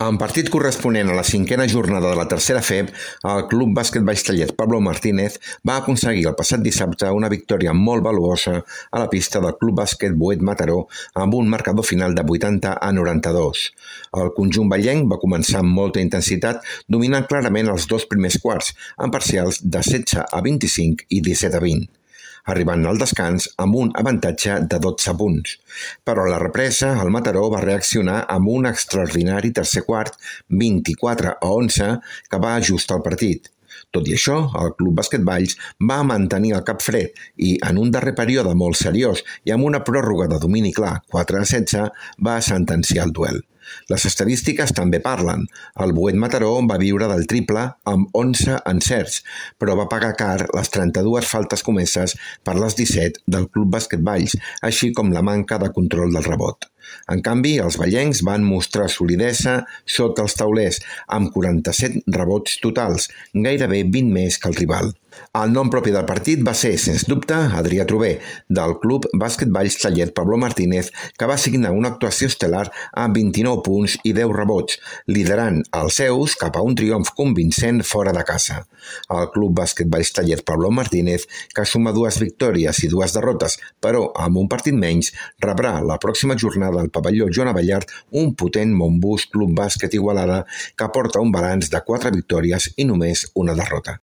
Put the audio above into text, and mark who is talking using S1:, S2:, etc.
S1: En partit corresponent a la cinquena jornada de la tercera FEB, el Club Bàsquet Valls Pablo Martínez va aconseguir el passat dissabte una victòria molt valuosa a la pista del Club Bàsquet Boet Mataró amb un marcador final de 80-92. El conjunt vallenc va començar amb molta intensitat, dominant clarament els dos primers quarts, amb parcials de 16-25 i 17-20. Arribant al descans amb un avantatge de 12 punts. Però a la represa, el Mataró va reaccionar amb un extraordinari tercer quart, 24-11, que va ajustar el partit. Tot i això, el Club Bàsquet Valls va mantenir el cap fred i, en un darrer període molt seriós i amb una pròrroga de domini clar, 4-16, va sentenciar el duel. Les estadístiques també parlen. El Boet Mataró va viure del triple amb 11 encerts, però va pagar car les 32 faltes comeses per les 17 del Club Bàsquet Valls, així com la manca de control del rebot. En canvi, els vallencs van mostrar solidesa sota els taulers, amb 47 rebots totals, gairebé 20 més que el rival. El nom propi del partit va ser, sens dubte, Adrià Trober, del Club Bàsquet Valls Pablo Martínez, que va signar una actuació estel·lar amb 29 punts i 10 rebots, liderant els seus cap a un triomf convincent fora de casa. El Club Bàsquet Valls Pablo Martínez, que suma 2 victòries i 2 derrotes, però amb un partit menys, rebrà la pròxima jornada al pavelló Joan Abellart un potent Montbus Club Bàsquet Igualada que porta un balanç de 4 victòries i només una derrota.